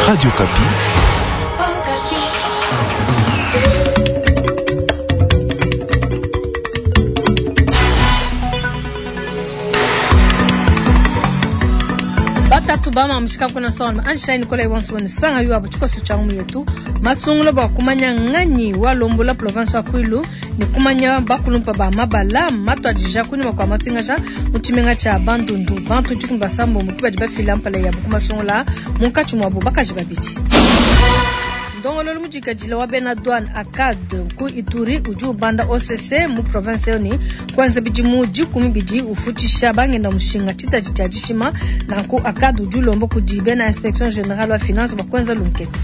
Radio Okapi. Batatu ba mamushika kuna sona Einstein kola iwansu wenu sanga yu abu chikoso cha umu yetu masungula bwa kumanya nganyi walombola province wa Kwilu ni kumanya bakulumpa ba mabala matwadija kunyuma kwa mapingaja mu tshimenga tshia Bandundu bantu dikumi basambo mu badi bafila mpala yabu ku masungula munkatshi muabu bakaji babidi. Ndongololo mudikadila wa bena douane ACAD ku Ituri udi ubanda OCC mu province yoni kwanza bidimu 12 ufutisha bangenda mushinga tshitadi tshia dishima nanku ACAD udi ulomba kudi bena inspection générale wa finance bua kuenza lunkete.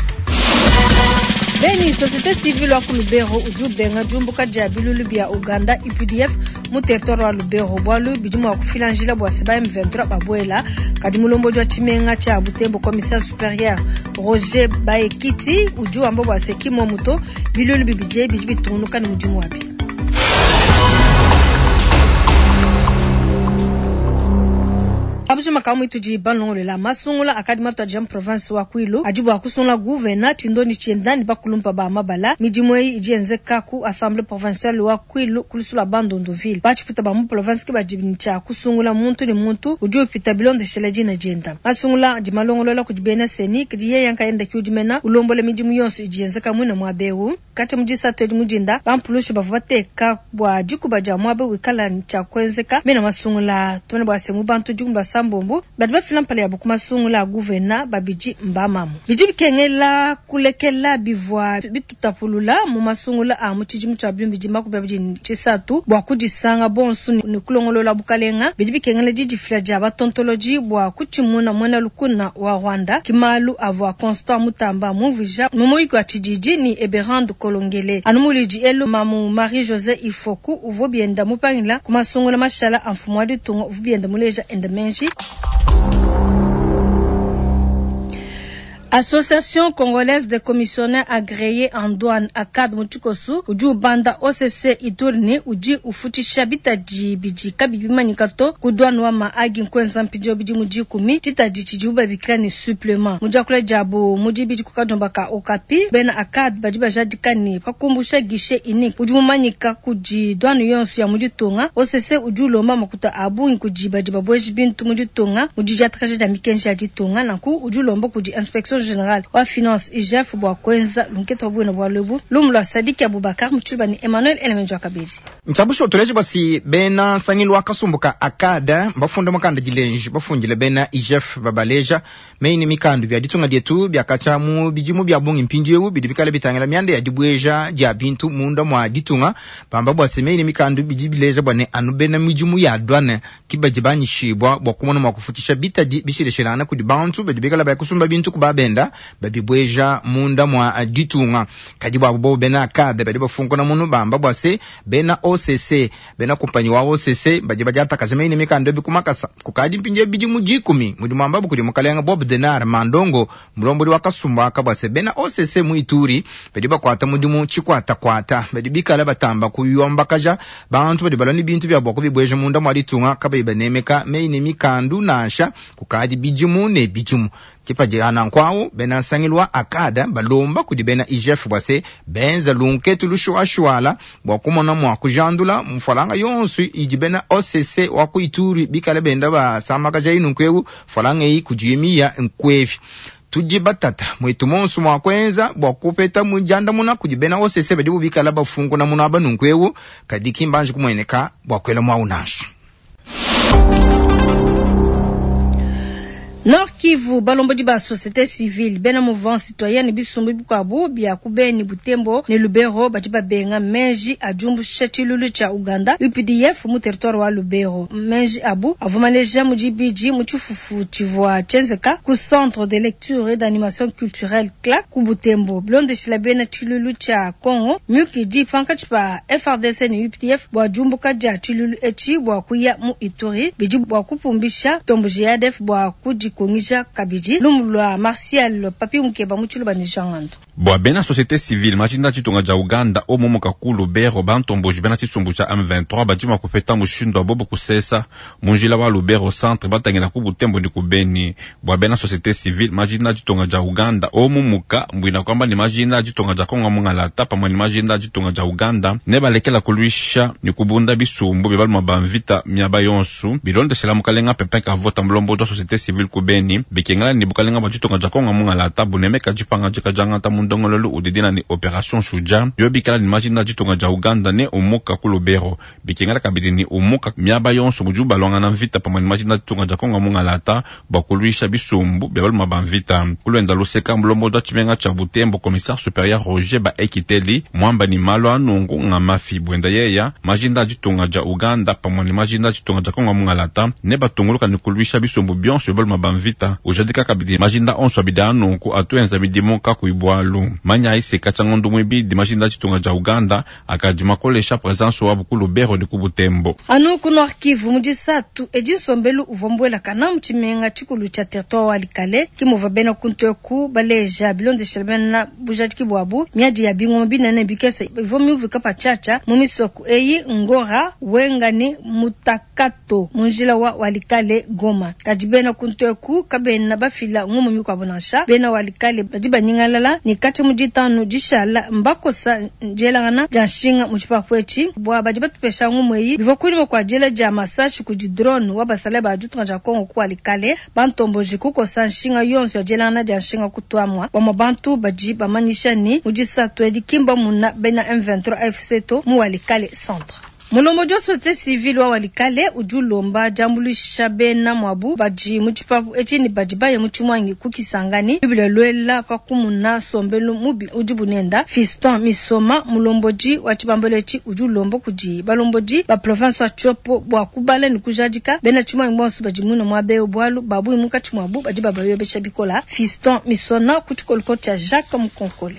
Beni société civile wa ku Lubero udi ubenga diumbuka dia bilulu bia Uganda UPDF mu territoire wa Lubero bualu bidi mua kufila njila bua se ba M23 babuela kadi mulombodi wa tshimenga tshia Butembo commissaire supérieur Roger Baekiti udi wamba bua se kimwa muto bilulu bibidi bidi bitungunuka ne mudimu wabi. Abujuma kamwe tudi balongolela masungula akadi matwaja mu province wa Kwilu adi bua kusungula gouverneur tshindoni tshienda bakulumpa ba mabala midimu eyi idi yenzeka ku assemblée provinciale wa Kwilu kulusula Bandundu ville batshiputa ba mu province ke badi tshia kusungula muntu ne muntu udi upita bilondeshela dina dienda masungula adi malongolola kudi bena seni kadi yeye nkayenda kiudimena ulombola midimu yonso idi yenzeka mwina mwabewu kati mudisatu edi mudinda bampulushi bavua bateka bua dikuba dia mwabe wikala tshia kuenzeka mena masungula tumene bua se mu bantu dikumi basambombo badi bafila mpala yabu ku masungula a gouverneur babidi mbamamu bidi bikengela kulekela bivua bitutapulula mu masungula a mu tshidimu tshia bimbidi makumi abidi ne tshisatu bua kudisanga bonso ne kulongolola bukalenga bidi bikengela didifila dia batontoloji bua kutshimuna muena lukuna wa Rwanda kimalu avua Constant Mutamba mumvuija mu muyuki wa tshididi ni Eberande Kolongele anu mulidi elu mamu Marie José Ifoku uvua bienda mupangila ku masungula mashala a mfumu wa ditunga uvua bienda muleja enda menji. Association congolaise des commissionnaires agréés en douane ACAD mu tshikosu udi ubanda OCC Ituri udi ufutisha bitadi bidi kabiyi bimanyika to ku douane wa Mahagi nkwenza mpindieu bidimu 10 tshitadi tshidibu babikila ne supplément mu diakula diabu mu dibidi ku kadiomba ka Okapi bena ACAD badi bajadika ne pakumbusha guichet unique udi mumanyika kudi douane yonso ya mu ditunga OCC udi ulomba makuta a bungi kudi badi babueji bintu mu ditunga mu didiatakaja dia mikenji ya ditunga nanku udi ulomba kudi inspection générale wa finance IGF bua kuenza lunkete wa bwina bwa lubu lumu lwa Sadiki Abubakar mutshiluba ni Emmanuel Elemenjo Akabedi. Ntshabusho tuleje basi bena nsangilu wa kasumbuka ACAD bafunda mukanda dilenji bafundile bena IGF babaleja meini mikandu bya ditunga dietu byakacha mu bidimu bya bungi mpindieu bidi bikale bitangila mianda ya dibweja dia bintu munda mwa ditunga bamba bwa se meini mikandu bidi bileja bwa ne anu bena midimu ya douane kibadi banyishibwa bwa kumona mwa kufutisha bitadi bishileshilana kudi bantu badi bikala bakusumba bintu kubabenda babibweja munda mwa ditunga kadi bwa bo bena ACAD badi bafunkuna munu bamba bwa se bena OCC bena kumpanyi wa OCC badi badiatakaja meini mikando bikumakasa kukadi mpinje bidimu 10 mudimu ambabu kudi mukalenga Bob Denar Mandongo mulombodi wa kasumba akabwa se bena OCC mu Ituri badi bakwata mudimu chikwata kwata badi bikala batamba kuyombakaja bantu badi balani bintu bya bwa kubibweja munda mwa ditunga kabayi banemeka meini mikandu nansha kukadi bidimu ne bidimu kipaji anankwawo bena nsangilwa ACAD balomba kudi bena IGF bwa se benza lunketu lushuashuala bwa kumona mwa kujandula mfalanga yonso idi bena OCC wa ku Ituri bikale benda basamakaja inu nkweu falanga eyi kujimiya nkwevi tudi batata mwetu monso mwa kwenza bwa kupeta mujanda muna kudi bena OCC badi bikala bafunguna muna abanunkweu kadi kimbanje kumweneka bwa kwela mwa unashu. Nord Kivu balombodi ba société civile bena mouvement citoyen bisumbu bikwabu bya kubeni Butembo ne Lubero badi babenga menji ajumbusha tshilulu tsha Uganda UPDF mu territoire wa Lubero menji abu avumaleja mu dibidi mu tshifufu tshivua tshienzeka ku centre de lecture et d'animation culturelle CLAC ku Butembo bilondeshila bena tshilulu tsha Congo myuki di pankatshi pa FARDC ne UPDF bua diumbuka dia tshilulu etshi bua kuya mu Ituri bidi bua kupumbisha tombo JADF bua kudi kongija umvuija kabidi lumu lua Martial Papi Mukeba mu Tshiluba ne Jean Ngandu. Bua bena societe civile majinda a ditunga dia Uganda omu muka ku Lubero, bantomboji bena tshisumbu tshia M23 badi mua kupeta mushindu wa bobu kusesa mu njila wa Lubero centre batangila ku Butembo ne ku Beni. Bua bena societe civile majinda a ditunga dia Uganda omu muka mbuina kuamba ne majinda a ditunga dia Kongo mungalata pamue ne majinda a ditunga dia Uganda ne balekela kuluisha ne kubunda bisumbu bia baluma ba mvita miaba yonsu bilondeshela mukalenga Pepin Kavota mulombodi wa societe civile ku Beni bikengela ne bukalenga bua ditunga dia Kongo mungalata bunemeka dipangadika diangata mu ndongoluelu udi dina ne Operation Shujaa yo bikala ne majinda a ditunga dia Uganda ne umuka ku Lubero bikengela kabidi ne umuka miaba yonso mudibu baluangana mvita pamue ne majinda a ditunga dia Kongo mungalata bua kuluisha bisumbu bia baluma ba mvita. Ku luenda luseka mulombodi wa tshimenga tshia Butembo commissaire superieur Roger Baekiteli muamba ne malu a nunku nga mafi buenda yeya majinda a ditunga dia Uganda pamue ne majinda a ditunga dia Kongo mungalata ne batunguluka ne kuluisha bisumbu bionso bia baluma ba mvita. Ujadika kabidi majinda onso abidi a nunku atu enza midimu kakuyi bualu. Manyayi se katshia ngondo muibidi majinda a ditunga dia Uganda akadi makolesha presence wabu ku Lubero ne ku Butembo. Anu ku Nord Kivu mu disatu edi nsombelu uvua mbuelakana mu tshimenga tshikulu tshia territoire wa Walikale ke muvua bena kuntu eku baleja bilondeshela bena bujadiki buabu miadi ya bingoma binene ne bikese ivua miumvuika patshiatshia mu misoko eyi Ngora, Wenga ne Mutakato mu njila wa Walikale Goma. Kadi bena kuntu eku kabena bafila ngumu mikuabu nansha. Bena Walikale badi banyingalala ne katshia mu ditanu dishala mbakosa dielangana dia nshinga mu tshipapu etshi bua badi batupesha ngumu eyi bivua kunyima kua diela dia masashi kudi drone wa basalayi ba ditunga dia Kongo ku Walikale bantomboji kukosa nshinga yonso ya dielangana dia nshinga kutuamua. Bamue bantu badi bamanyisha ne mu disatu edi ki mbamuna bena M23 AFC to mu Walikale centre. Mulombodi wa societe civile wa Walikale udi ulomba diambuluisha bena muabu badi mu tshipapu etshi ne badi baye mu tshimuangi ku Kisangani. Bible luela pa kumuna nsombelu mubi udibu nenda. Fiston Misoma mulombodi wa tshibambalu etshi udi ulomba kudi balombodi ba province wa Tshopo bua kubala ne kujadika bena tshimuangi bonso badi muine muaba eu bualu ba bungi munkatshi muabu badi babayobesha bikola. Fiston Misona ku tshikoliko tshia Jacques Mukonkole.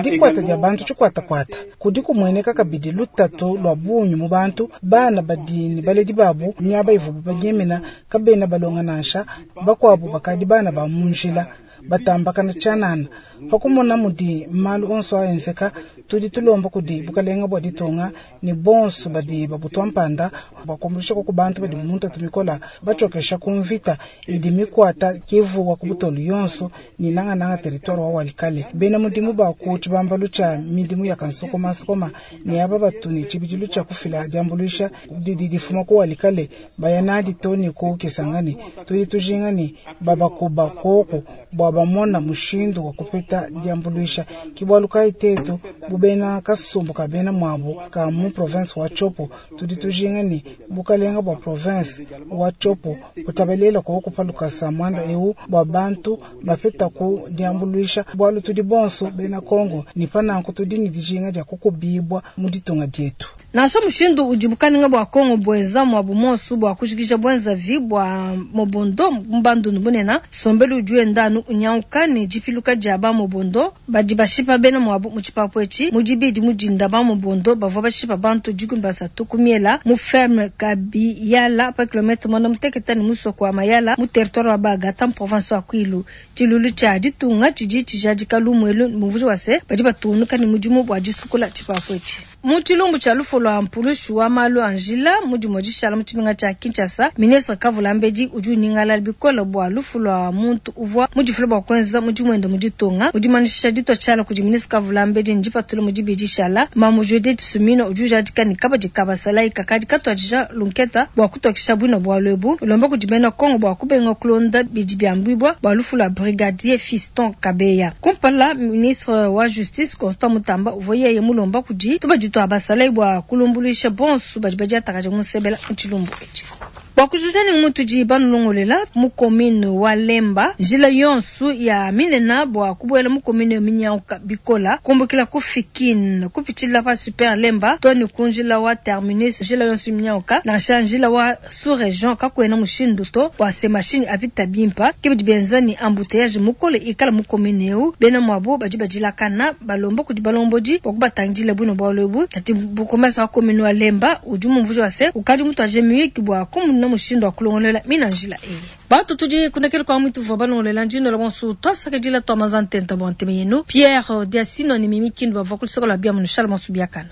Dikuata dia bantu tshikuatakuata kudi kumueneka kabidi lutatu lua bungi mu bantu. Bana badi ne baledi babu miaba ivuabu banyemena kabena balonga nansha, bakuabu bakadi bana ba mu njila batambakana tshianana. Pa kumona mudi malu onso aenzeka, tudi tulomba kudi bukalenga bua ditunga ne bonso badi babutua mpanda bua kuambuluisha ku bantu badi mu ntatu mikola batshiokesha ku mvita idi mikuata Kivu wa ku butolu yonso ne nangananga territoire wa Walikale. Bena mudimu ba ku tshibambalu tshia midimu ya kansokomansokoma ne aba batu ne tshibidilu tshia kufila diambuluisha didi difuma ku Walikale baya nadi to ne ku Kisangani. Tudi tujinga ne babakuba koku bua bamona mushindu wa kupeta diambuluisha. Ke bualu kayi tetu bu bena kasumbu ka bena muabu ka mu province wa Tshopo tudi tujinga ne bukalenga bua province wa Tshopo butabalela koku pa lukasa muanda eu bua bantu bapeta ku diambuluisha, bualu tudi bonso bena Kongo ne pa nanku tudi ne dijinga dia kukubibua mu ditunga dietu. Nansha mushindu udi bukalenga bua Kongo buenza muabu muonso bua kujikija buenzavi bua mobondo mu bandundu bunene, nsombelu udi wenda anu unyanguka ne dipiluka dia ba mobondo badi bashipa bena muabu mu tshipapu etshi. Mu dibidi mu dinda ba mobondo bavua bashipa bantu 13 ku miela mu ferme Kabiyala pa kilometre 96 ne musoko wa Mayala mu territoire wa Bagata mu province wa Kwilu. Tshilulu tshia ditunga tshidi tshijadika lumu elu mumvuija wa se badi batungunuka ne mudimu bua disukula tshipapu etshi. Mu tshilumbu tshia lufu lua mpulushi wa malu a njila mu dimue dishala mu tshimenga tshia Kinshasa, ministre Kavula Mbedi udi unyingalala bikole bua lufu lua muntu uvua mudifile bua kuenza mudimu wende mu ditunga. Mu dimanyisha ditua tshiala kudi ministre Kavula Mbedi ne dipatula mu dibidi dishala, Mamu Judith Suminwa udi ujadika ne kabadi ka basalayi kakadi katuadija lunketa bua kutokesha buina bualu ebu, ulomba kudi bena Kongo bua kubenga kulonda bidi biambuibua bua lufu lua brigadier Fiston Kabeya. Kumpala ministre wa justice Constant Mutamba uvua yeye mulomba kudi tubadi tua basalayi bua kulumbuluisha bonso badi badiatakaja mu nsebela mu tshilumbu etshi. Bua kujikija ne mutudi banulongolela mu commune wa Lemba, njila yonso ya minena bua kubuela mu commune minyanguka bikola kumbukila ku Fikin kupitshila pa Super Lemba to ne ku njila wa terminus, njila yonso minyanguka nansha njila wa sous region kakuena mushindu to bua se mashinyi apita bimpa. Ke bidi benza ne embouteillage mukole ikala mu commune eu. Bena muabu badi badilakana balomba kudi balombodi bua kubatangidila buino bualu ebu. Kadi bourgmestre wa commune wa Lemba udi mumvuija wa se ukadi mutuaje miyuki bua kumuna Kakuena mushindu wa kulongolola mina njila eyi. Bantu tudi kundekelu kua muitu tuvua balongolola ndinola bonso tuasakidila tua manza ntenta bua ntema yenu. Pierre Diasino ne Mimi Kindu bavua ku luseke lua biamu nushala bonso biakana.